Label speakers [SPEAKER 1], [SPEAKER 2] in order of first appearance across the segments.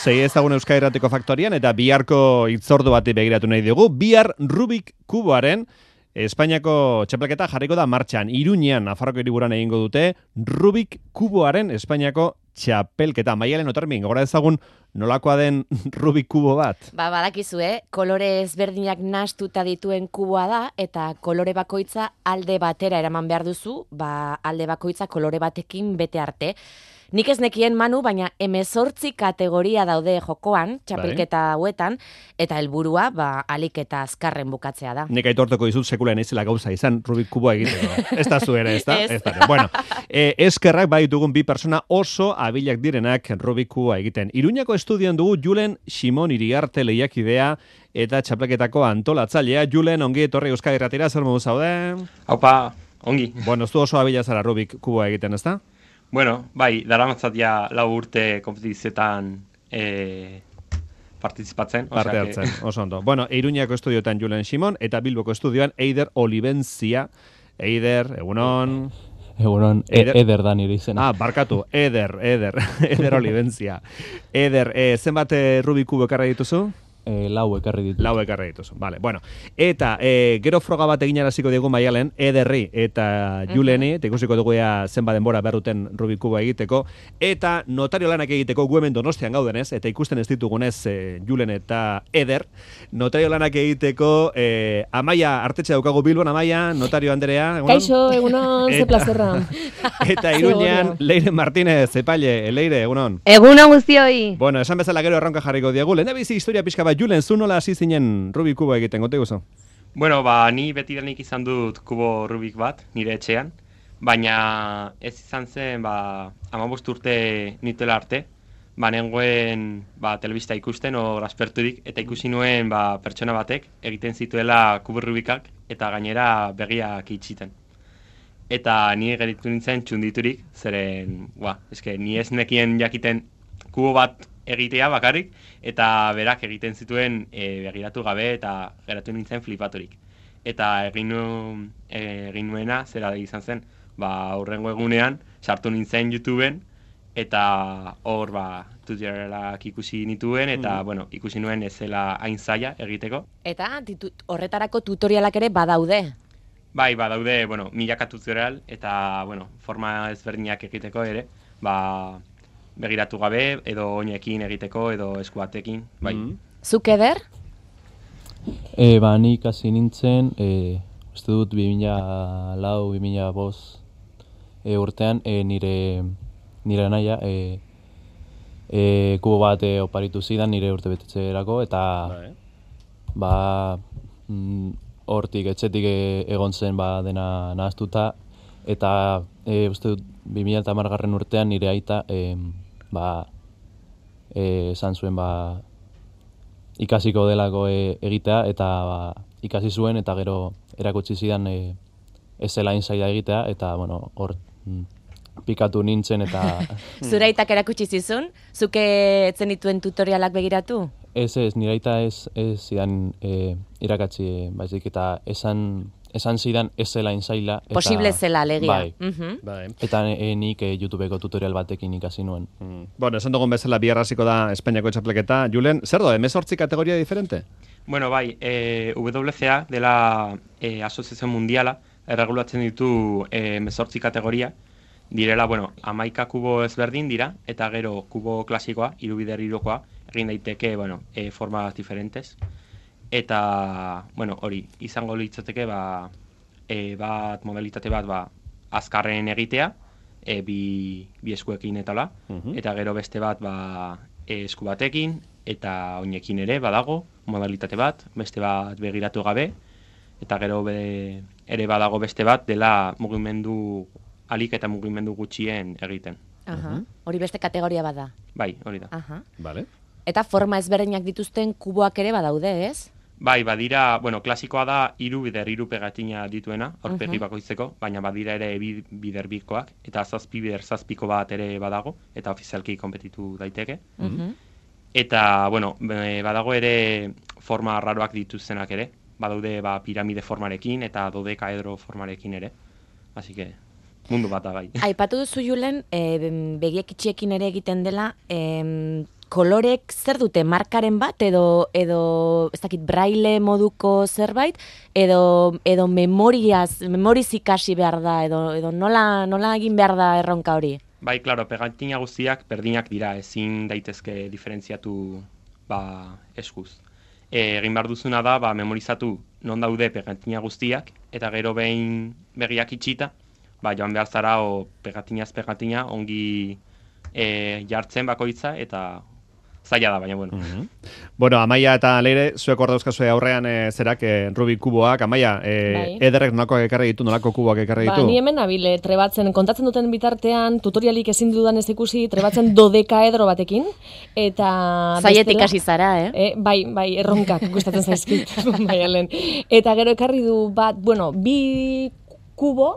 [SPEAKER 1] sei ezagun Euskadi Irratiko Faktorian eta biharko hitzordu bati begiratu nahi dugu. Bihar Rubik kuboaren Espainiako txapelketa jarriko da martxan. Iruñean, Nafarroko hiriburuan egingo dute Rubik kuboaren Espainiako txapelketa. Maialen Otarmin, gora ezagun nolakoa den Rubik kubo bat?
[SPEAKER 2] Badakizu, kolore ezberdinak nahastuta dituen kuboa da, eta kolore bakoitza alde batera eraman behar duzu, alde bakoitza kolore batekin bete arte. Nik ez nekien, Manu, baina 18 kategoria daude jokoan, txapelketa hauetan, eta helburua alik eta azkarren bukatzea da.
[SPEAKER 1] Nik aitortuko dizut sekula naizela gauza izan Rubik kuboa egiteko. Ez da zu ere, ez da? Ez da. Bueno, eskerrak bai dugun bi persona oso abilak direnak Rubik kuboa egiten. Iruñako estudioan dugu Julen Simon Iriarte lehiakidea eta txapelketako antolatzailea. Julen, ongi etorri Euskadi Irratira, zer modu zaude?
[SPEAKER 3] Haupa, ongi.
[SPEAKER 1] Bueno, ez du oso abila zara Rubik kuboa egiten, ez da?
[SPEAKER 3] Bueno, bai, daramatzat ja 4 urte kompetizioetan partizipatzen.
[SPEAKER 1] Parte hartzen, oso ondo. Bueno, Iruñako estudioetan Julen Simon eta Bilboko estudioan Eider Olibentzia. Eider, egunon.
[SPEAKER 4] Egunon, Eder da nire izena.
[SPEAKER 1] Barkatu, Eder Olibentzia. Eder, zenbat Rubik kubo ekarri dituzu?
[SPEAKER 4] Lau ekarri
[SPEAKER 1] dituzu, vale. Bueno, eta gero froga bat egin araziko dugu Maialen, Ederri eta Juleni, eta ikusiko dugu zenba denbora berruten Rubik kuboa egiteko, eta notario lanak egiteko gu hemen Donostian gaudenez, eta ikusten ez ditugunez Julen eta Eder, notario lanak egiteko Amaia Artetxe daukagu Bilbon, Amaia, notario Anderea, egunon?
[SPEAKER 5] Kaixo, egunon, ze plazerra.
[SPEAKER 1] Eta Iruñean, Leire Martínez, epaile, Leire, egunon?
[SPEAKER 5] Egunon guztioi.
[SPEAKER 1] Bueno, esan bezala gero erronka jarriko diegu, lehen da bizi historia pixka bat, Julen, zu nola hasi zinen Rubik kubo egiten, gote guzu?
[SPEAKER 3] Bueno, ni betidanik izan dut kubo Rubik bat, nire etxean, baina ez izan zen, 15 urte nituela arte, nengoen telebista ikusten, hor asperturik, eta ikusi nuen pertsona batek egiten zituela kubo Rubikak, eta gainera begiak itxiten. Eta ni geritu nintzen txunditurik, zeren, ni ez nekien jakiten kubo bat egitea bakarrik, eta berak egiten zituen begiratu gabe eta geratu nintzen flipaturik. Eta egin nuena, zera izan zen, aurrengo egunean, sartu nintzen YouTubeen, eta hor tutorialak ikusi nituen, eta ikusi nuen ez zela hain zaila egiteko.
[SPEAKER 2] Eta horretarako tutorialak ere badaude?
[SPEAKER 3] Bai, badaude, milaka tutorial, eta forma ezberdinak egiteko ere, begiratu gabe, edo oinekin egiteko, edo eskuatekin, bai.
[SPEAKER 2] Zuk Eder?
[SPEAKER 4] Nik hasi nintzen, uste dut 2004-2005 urtean, nire naia kubo bat oparitu zidan nire urte betetzerako, eta hortik etxetik egon zen dena nahaztuta, eta uste dut 2010 urtean nire aita esan zuen ikasiko delako egitea, eta ikasi zuen, eta gero erakutsi zidan ez zela zaila egitea, eta hor pikatu nintzen, eta...
[SPEAKER 2] Zure aitak erakutsi zizun? Zuke etzen dituen tutorialak begiratu?
[SPEAKER 4] Ez, nire aita ez zidan irakatsi, baizik, eta esan zidan ez zela zaila.
[SPEAKER 2] Posible zela, alegia.
[SPEAKER 4] Bai. Eta nik YouTubeko tutorial batekin ikasi nuen.
[SPEAKER 1] Bueno, esan dugun bezala bihar hasiko da Espainiako txapelketa. Julen, zer da, 18 kategoria diferente?
[SPEAKER 3] Bueno, bai, WCA dela Asoziazio Mundiala, erregulatzen ditu 18 kategoria. Direla, 11 kubo ezberdin dira, eta gero kubo klasikoa, 3 bider 3koa, egin daiteke, formas diferentes. Eta, hori, izango litzateke, modalitate bat, azkarren egitea, bi eskuekin etala, eta gero beste bat, esku batekin, eta oinekin ere, badago, modalitate bat, beste bat begiratu gabe, eta gero ere badago beste bat, dela mugimendu alik eta mugimendu gutxien egiten.
[SPEAKER 2] Hori beste kategoria bada?
[SPEAKER 3] Bai, hori da.
[SPEAKER 1] Vale.
[SPEAKER 2] Eta forma ezberdinak dituzten kuboak ere badaude, ez?
[SPEAKER 3] Bai, badira, klasikoa da 3 bider 3 pegatina dituena, aurpegi bakoitzeko, baina badira ere 2 bider 2koak, eta 7 bider 7ko bat ere badago, eta ofizialki konpetitu daiteke. Eta, badago ere forma raroak dituztenak ere, badaude piramide formarekin eta dodekaedro formarekin ere, así que mundu bat da gai.
[SPEAKER 2] Aipatu duzu Julen, begiek itxiekin ere egiten dela, kolorek zer dute, markaren bat, edo ez dakit, braille moduko zerbait, edo memoriz ikasi behar da, edo nola egin behar da erronka hori?
[SPEAKER 3] Bai, klaro, pegatina guztiak berdinak dira, ezin daitezke diferentziatu eskuz. Egin behar duzuna da, memorizatu non daude pegatina guztiak, eta gero behin begiak itxita, joan behar zara pegatinaz pegatina ongi jartzen bakoitza, eta zaila da, baina bueno.
[SPEAKER 1] Bueno, Amaia eta Leire, zuek hor dauzkazue aurrean zerak Rubik kuboak. Amaia, ederrek nolakoak ekarri ditu, nolako kuboak ekarri ditu?
[SPEAKER 5] Ni hemen nabile, trebatzen, kontatzen duten bitartean, tutorialik ezin dudan ez ikusi, trebatzen dodekaedro batekin, eta...
[SPEAKER 2] Zaietik hasi zara,
[SPEAKER 5] Bai, erronkak gustatzen zaizkit, baialen. Eta gero ekarri du bat, bi kubo,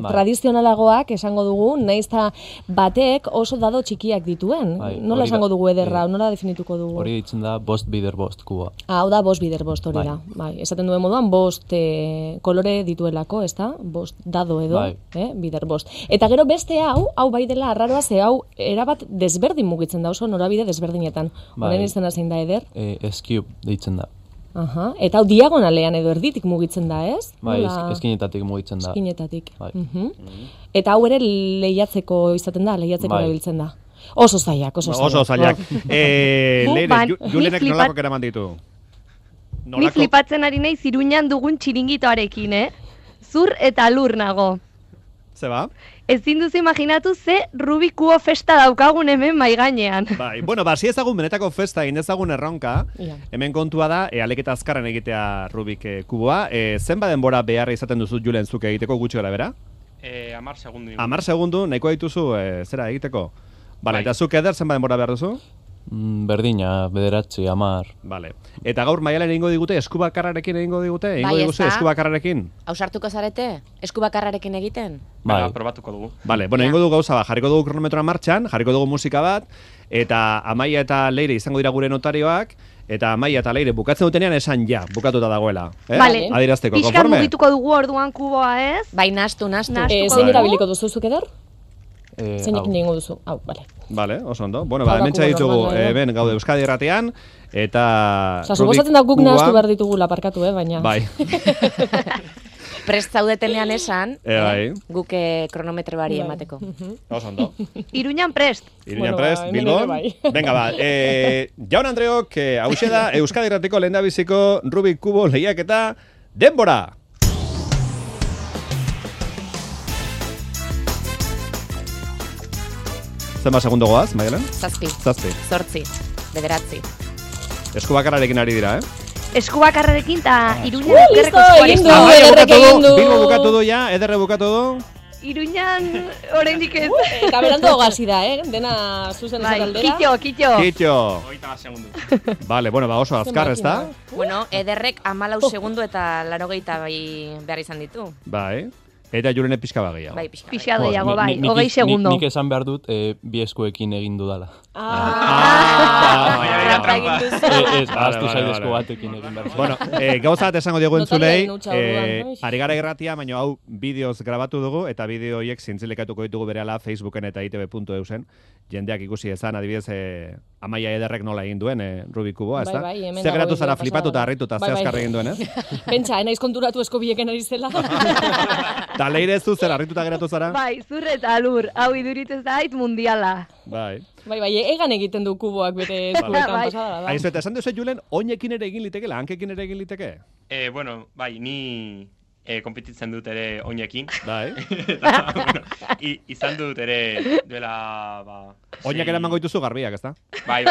[SPEAKER 5] tradizionalagoak esango dugu, naizta batek oso dado txikiak dituen. Nola esango dugu ederra, nola definituko dugu?
[SPEAKER 4] Hori ditzen da bost bider bost kuboa.
[SPEAKER 5] Hau da bost bider bost hori da. Esaten duen moduan, bost kolore dituelako, ez da? Bost dado edo, bider bost. Eta gero beste hau bai dela arraroa, ze hau erabat desberdin mugitzen da, oso norabide desberdinetan. Honen izena zein da eder?
[SPEAKER 4] S-cube deitzen da.
[SPEAKER 5] Eta hau diagonalean edo erditik mugitzen da, ez?
[SPEAKER 4] Bai, eskinetatik mugitzen da.
[SPEAKER 5] Eskinetatik. Eta hau ere lehiatzeko izaten da, lehiatzeko erabiltzen da. Oso zailak.
[SPEAKER 1] Leire, Julenek nolako eraman ditu?
[SPEAKER 6] Ni flipatzen ari nahi Iruñan dugun txiringitoarekin, Zur eta lur nago.
[SPEAKER 1] Zeba?
[SPEAKER 6] Ezin duzu imaginatu ze Rubik kubo festa daukagun hemen maigainean.
[SPEAKER 1] Bai, si ezagun benetako festa egin ezagun erronka, hemen kontua da, aleketa azkarren egitea Rubik kuboa. Zenba denbora beharra izaten duzu Julen zuke egiteko gutxi gara bera?
[SPEAKER 3] 10 segundu.
[SPEAKER 1] 10 segundu, nahikoa dituzu zera egiteko? Bale, eta zuk eder zenba denbora behar duzu?
[SPEAKER 4] Berdina, 9, 10.
[SPEAKER 1] Vale. Eta gaur Maialen egingo digute, eskubakarrarekin egingo digute? Egingo diguzu eskubakarrarekin?
[SPEAKER 2] Ausartuko zarete? Eskubakarrarekin egiten?
[SPEAKER 3] Bai, probatuko dugu.
[SPEAKER 1] Vale, egingo dugu gauza jarriko dugu kronometroa martxan, jarriko dugu musika bat, eta Amaia eta Leire izango dira gure notarioak, eta Amaia eta Leire bukatzen dutenean esan bukatuta dagoela.
[SPEAKER 6] Vale.
[SPEAKER 1] Adirazteko, konforme?
[SPEAKER 6] Pixkan mugituko dugu orduan kuboa, ez?
[SPEAKER 2] Bai, nastu.
[SPEAKER 5] Zein erabiliko duzuzuk eder? Zeinekin egingo duzu? Hau, bale.
[SPEAKER 1] Bale, oso ondo. Bueno, hementsa ditugu, ben gaude Euskadi Irratian, eta...
[SPEAKER 5] Suposatzen da guk nahastu behar ditugula parkatu, baina...
[SPEAKER 1] Bai.
[SPEAKER 2] Prest zaudetenean esan, guk kronometro bari emateko.
[SPEAKER 1] Oso ondo.
[SPEAKER 6] Iruñan prest.
[SPEAKER 1] Bilbon. Venga, Jaun Andreok, hauxe da Euskadi Irratiko lehendabiziko Rubik kubo lehiaketa denbora! Zenba segundo goaz, Maialen?
[SPEAKER 2] 7. 8. 9.
[SPEAKER 1] Eskubakarrarekin ari dira,
[SPEAKER 6] Eskubakarrarekin eta Iruñan okerreko
[SPEAKER 5] eskuarekin.
[SPEAKER 1] Bilbo bukatu du ja, ederre bukatu du.
[SPEAKER 6] Iruñan oraindik ez.
[SPEAKER 5] Eta berando gazi da, dena zuzen aldera.
[SPEAKER 6] Kitxo.
[SPEAKER 3] 30 segundu.
[SPEAKER 1] Vale, oso azkar, ez da?
[SPEAKER 2] Bueno, ederrek 14 segundu eta 82 behar izan ditu.
[SPEAKER 1] Bai. Eta Julene pixka bagia.
[SPEAKER 2] Bai,
[SPEAKER 6] pixka gehiago, bai, 20 segundo.
[SPEAKER 4] Nik esan behar dut, bi eskuekin egin dudala. Aztu zaidezko batekin egin behar.
[SPEAKER 1] Bueno, gauza bat esango diogu entzulei, ari gara irratia, baina hau bideoz grabatu dugu, eta bideo horiek zintzilekatuko ditugu berehala Facebooken eta itv.eusen, jendeak ikusi ezan, adibidez, Amaia ederrek nola egin duen Rubik kuboa, ez da? Zer geratu zara flipatu eta harritu eta ze azkar egin duen,
[SPEAKER 5] Pentsa, naiz konturatu eskobieken ari zela.
[SPEAKER 1] Eta Leire zu zer harrituta geratu zara?
[SPEAKER 6] Bai, zur eta lur, hau iduritzen zait mundiala.
[SPEAKER 1] Bai,
[SPEAKER 5] egan egiten du kuboak bere eskuetan pasada.
[SPEAKER 1] Aizu, eta esan duzu Julen, oinekin ere egin liteke, hankekin ere egin liteke?
[SPEAKER 3] Bai, ni konpetitzen dut ere oinekin.
[SPEAKER 1] Bai.
[SPEAKER 3] Izan dut ere duela...
[SPEAKER 1] Oinak eraman goituzu garbiak, ez da?
[SPEAKER 3] Bai.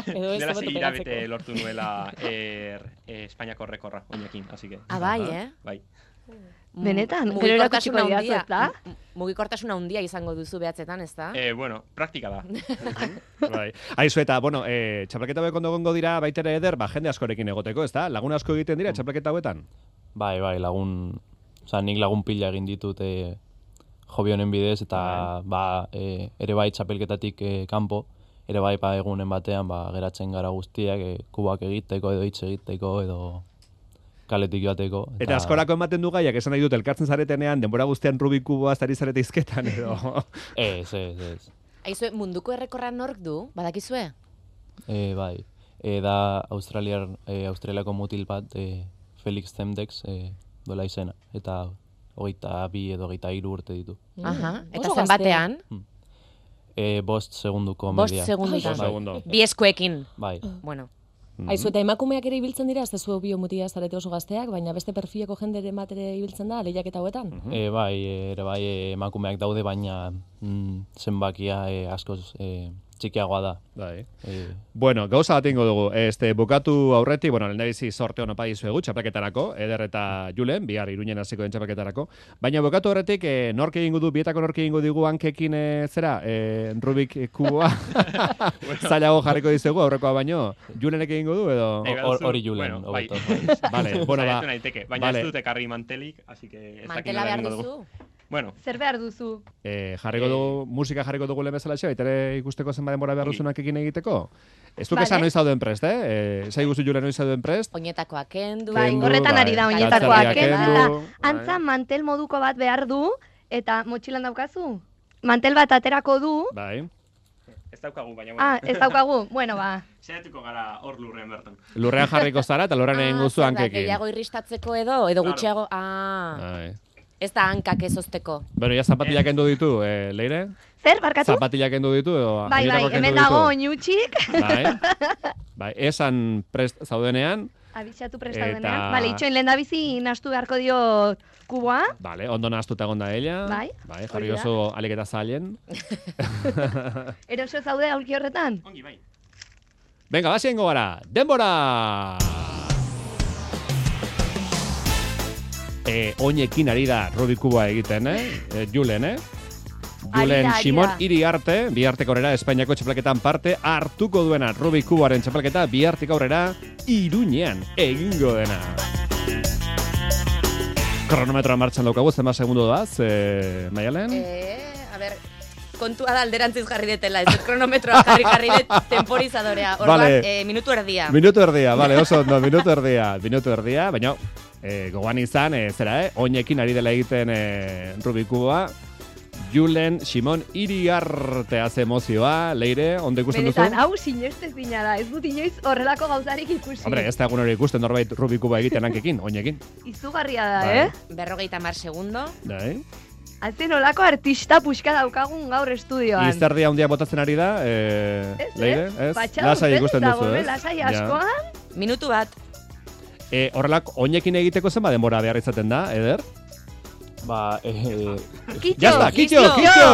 [SPEAKER 3] Dela hilabete lortu nuela Espainiako rekorra oinekin, así que...
[SPEAKER 2] Bai,
[SPEAKER 3] Bai.
[SPEAKER 6] Benetan, gero erakutsiko diatzu, ez da?
[SPEAKER 2] Mugikortasuna handia izango duzu behatzetan, ez da?
[SPEAKER 3] Praktika da.
[SPEAKER 1] Bai. Aizu eta, txapelketa hauek ondo gongo dira baitere eder, jende askorekin egoteko, ez da? Lagun asko egiten dira txapelketa hauetan?
[SPEAKER 4] Bai, lagun... nik lagun pila egin ditut hobi honen bidez, eta ere bai txapelketatik kanpo, ere bai egunen batean geratzen gara guztiak, kubak egiteko edo hitz egiteko edo... kaletik joateko.
[SPEAKER 1] Eta askorako ematen du gaiak, esan nahi dut, elkartzen zaretenean, denbora guztian Rubik kuboa ari zarete izketan, edo...
[SPEAKER 4] Ez.
[SPEAKER 2] Aizue, munduko errekorra nork du, badakizue?
[SPEAKER 4] Bai, da Australiako mutil bat, Felix Zemdex, dola izena, eta 22 edo 23 urte ditu.
[SPEAKER 2] Aha, eta zenbatean?
[SPEAKER 4] 5 segunduko media.
[SPEAKER 2] 5 segundu. Bi eskuekin.
[SPEAKER 4] Bai.
[SPEAKER 2] Bueno.
[SPEAKER 5] Aizu, eta emakumeak ere ibiltzen dira, ez zu biomutia zarete oso gazteak, baina beste perfileko jendere ematere ibiltzen da, lehiaketa hauetan?
[SPEAKER 4] Bai, emakumeak daude, baina zenbakia askoz txikiagoa da.
[SPEAKER 1] Bai. Bueno, gauza bat ingo dugu. Bukatu aurretik, lehendabizi sorte hona padizuegu txapelketarako, Eder eta Julen, bihar Iruñen hasiko den txapelketarako. Baina bukatu aurretik, nork egingo du, bietako nork egingo digu hankekin zera, Rubik kuboa. Zailago jarriko dizugu, aurrekoa baino. Julenek egingo du, edo?
[SPEAKER 4] Hori Julen.
[SPEAKER 1] Vale, bueno, ba.
[SPEAKER 3] Baina ez dut ekarri mantelik, así que...
[SPEAKER 2] Mantela behar duzu?
[SPEAKER 3] Bueno.
[SPEAKER 6] Zer behar duzu?
[SPEAKER 1] Jarriko dugu, musika jarriko dugu lehen bezala xe, baitere ikusteko zenba denbora behar duzunak ekin egiteko. Ez duk esan noiz zauden prest, Zai guzu Julen noiz zauden prest.
[SPEAKER 2] Oinetakoak kendu.
[SPEAKER 6] Bai, horretan ari da oinetakoak kendu. Antza mantel moduko bat behar du, eta motxilan daukazu? Mantel bat aterako du.
[SPEAKER 1] Bai.
[SPEAKER 3] Ez daukagu, baina bueno.
[SPEAKER 6] Ez daukagu, bueno, ba.
[SPEAKER 3] Zeratuko gara hor lurrean bertan.
[SPEAKER 1] Lurrean jarriko zara, eta lurrean egin guzu hankekin.
[SPEAKER 2] Gehiago irristatzeko edo gutxiago... Ez da hankak ezozteko.
[SPEAKER 1] Bueno, ya zapatilak kendu ditu, Leire?
[SPEAKER 6] Zer, barkatu?
[SPEAKER 1] Zapatilak kendu ditu, edo...
[SPEAKER 6] Bai, hemen dago oinutxik.
[SPEAKER 1] Bai, esan prest zaudenean.
[SPEAKER 6] Abixatu prest zaudenean. Bale, itxoin lehen da bizi nastu beharko dio kuboa.
[SPEAKER 1] Bale, ondo nastuta egonda ella. Bai, jarri oso aliketa zailen.
[SPEAKER 6] Eroso zaude aurki horretan?
[SPEAKER 3] Ongi, bai.
[SPEAKER 1] Venga, basiengo gara, denbora! Oinekin ari da Rubik kuboa egiten, Julen, Julen Simon Iriarte, bihartik aurrera Espainiako txapelketan parte hartuko duena Rubik kuboaren txapelketa, bihartik aurrera Iruñean egingo dena. Kronometroa martxan daukagu, zenba segundu doaz, Maialen?
[SPEAKER 2] A ber, kontua da alderantziz jarri detela, ez kronometroa jarri det temporizadorea. Orduan, minutu erdia.
[SPEAKER 1] Minutu erdia, bale, oso ondo, minutu erdia, baina... gogoan izan, oinekin ari dela egiten Rubik kuboa, Julen Simon Iriarte haze emozioa, Leire, onde ikusten duzu?
[SPEAKER 6] Benetan, hau sinestez dina da, ez dut inoiz horrelako gauzarik ikusi.
[SPEAKER 1] Hombre, ez da egun hori ikusten norbait Rubik kuboa egiten hankekin, oinekin.
[SPEAKER 6] Izugarria da,
[SPEAKER 2] 50 segundo.
[SPEAKER 1] Bai.
[SPEAKER 6] Hazen olako artista puxka daukagun gaur estudioan.
[SPEAKER 1] Izterdia handia botatzen ari da, Leire, ez? Lasai ikusten duzu, ez?
[SPEAKER 6] Lasai askoan.
[SPEAKER 2] Minutu bat.
[SPEAKER 1] Horrelak oinekin egiteko zenba denbora behar izaten da, Eder?
[SPEAKER 4] Ba,
[SPEAKER 1] Kitxo!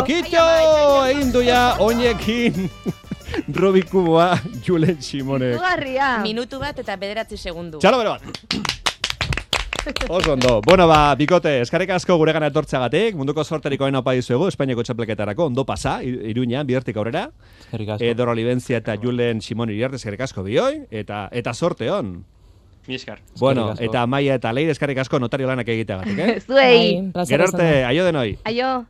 [SPEAKER 1] Egin duia oinekin Rubik kuboa Julen Simonek.
[SPEAKER 6] Zugarria.
[SPEAKER 2] Minutu bat eta 9 segundu.
[SPEAKER 1] Txalo bere bat! Oso ondo. Bueno, bikote, eskarrik asko guregana etortzeagatik, munduko sorteriko hain opa dizuegu, Espainiako txapelketarako, ondo pasa, Iruñean, bihartik aurrera.
[SPEAKER 4] Eskarrik asko.
[SPEAKER 1] Doro Libentzia eta Julen Simon Iriarte, eskarrik asko bioi, eta sorte hon.
[SPEAKER 3] Mi eskar.
[SPEAKER 1] Bueno, eta Maia eta Leire eskarrik asko notario lanak egiteagatik,
[SPEAKER 6] Zuei.
[SPEAKER 1] Gero arte, aio denoi.
[SPEAKER 6] Aio.